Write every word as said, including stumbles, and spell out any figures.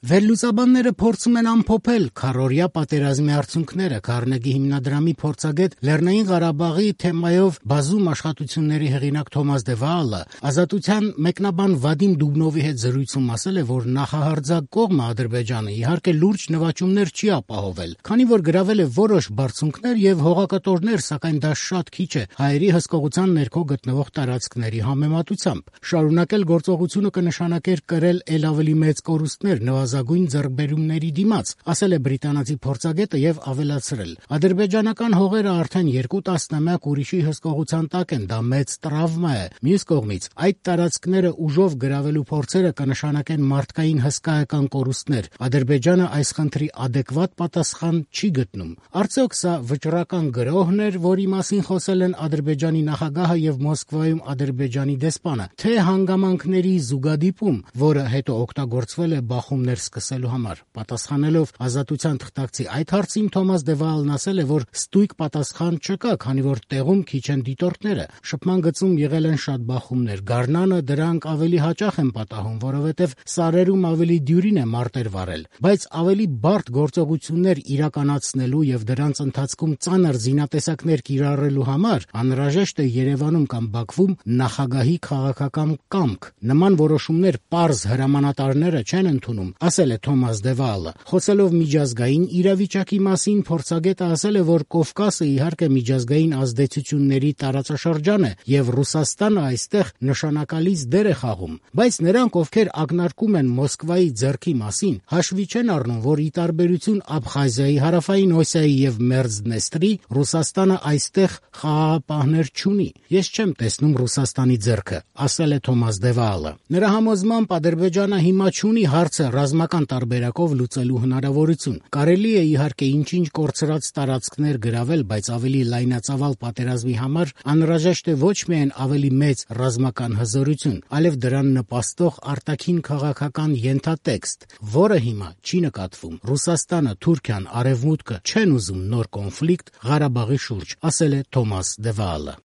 Վերլուծաբանները փորձում են ամփոփել քառօրյա պատերազմի արդյունքները։ Քարնեգի հիմնադրամի փորձագետ Լեռնային Ղարաբաղի թեմայով բազում աշխատությունների հեղինակ Թոմաս Դե Վաալը Ազատության մեկնաբան Վադիմ Դուբնովի հետ զրույցում ասել է, որ նախահարձակ կողմը Ադրբեջանը իհարկե լուրջ նվաճումներ չի ապահովել, քանի որ գրավել է որոշ բարձունքներ եւ հողակտորներ, սակայն դա շատ քիչ է հայերի հսկողության ներքո գտնվող տարածքների համեմատությամբ։ Շարունակել գործողությունը կնշանակեր կրել ել ավելի մեծ կորուստներ նվազագույն ձեռքբերումների դիմաց, ասել է բրիտանացի փորձագետը եւ ավելացրել. ադրբեջանական հողերը արդեն երկու տասնամյակ ուրիշի հսկողության տակ են, դա մեծ տրավմա է։ Մյուս կողմից, այդ տարածքները ուժով գրավելու փորձերը կնշանակեն մարդկային հսկայական կորուստներ։ Ադրբեջանը այս խնդրի ադեկվատ պատասխան չի գտնում։ Արդյոք սա վճռական գրոհն էր, որի մասին խոսել են Ադրբեջանի նախագահը եւ Մոսկվայում Ադրբեջանի դեսպանը, թե հանգամանքների զուգադիպում, որը հետո օգտագործվել է բախումներ սկսելու համար։ Պատասխանելով Ազատության թղթակցի այդ հարցին Թոմաս Դե Վաալն ասել է, որ ստույգ պատասխան չկա, քանի որ տեղում քիչ են դիտորդները։ Շփման գծում եղել են շատ բախումներ։ Գարնանը դրանք ավելի հաճախ են պատահում, որովհետև սարերում ավելի դյուրին է մարտեր վարել, բայց ավելի բարդ գործողություններ իրականացնելու եւ դրանց ընթացքում ծանր զինատեսակներ կիրառելու համար անհրաժեշտ է Երևանում կամ Բաքվում նախագահի քաղաքական կամք։ Նման որոշումներ պարզ հրամանատարները չեն ընդունում, ասել է Թոմաս Դե Վաալը։ Խոսելով միջազգային իրավիճակի մասին, փորձագետը ասել է, որ Կովկասը իհարկե միջազգային ազդեցությունների տարածաշրջան է եւ Ռուսաստանը այստեղ նշանակալից դեր է խաղում, բայց նրանք, ովքեր ակնարկում են Մոսկվայի ձեռքի մասին, հաշվի չեն առնում, որ ի տարբերություն Աբխազիայի, Հարավային Օսիայի եւ Մերձդնեստրի, Ռուսաստանը այստեղ խաղաղապահներ չունի։ Ես չեմ տեսնում Ռուսաստանի ձեռքը, ասել է Թոմաս Դե Վաալը։ Նրա համոզմամբ Ադրբեջանը հիմա չունի հարցը ռազմական տարբերակով լուծելու հնարավորություն։ Կարելի է իհարկե ինչ-ինչ կորցրած տարածքներ գրավել, բայց ավելի լայնածավալ պատերազմի համար անհրաժեշտ է ոչ միայն ավելի մեծ ռազմական հզորություն, այլև դրան նպաստող արտաքին քաղաքական ենթատեքստ, որը հիմա չի նկատվում։ Ռուսաստանը, Թուրքիան, Արևմուտքը չեն ուզում նոր կոնֆլիկտ Ղարաբաղի շուրջ, ասել է Թոմաս Դե Վաալը։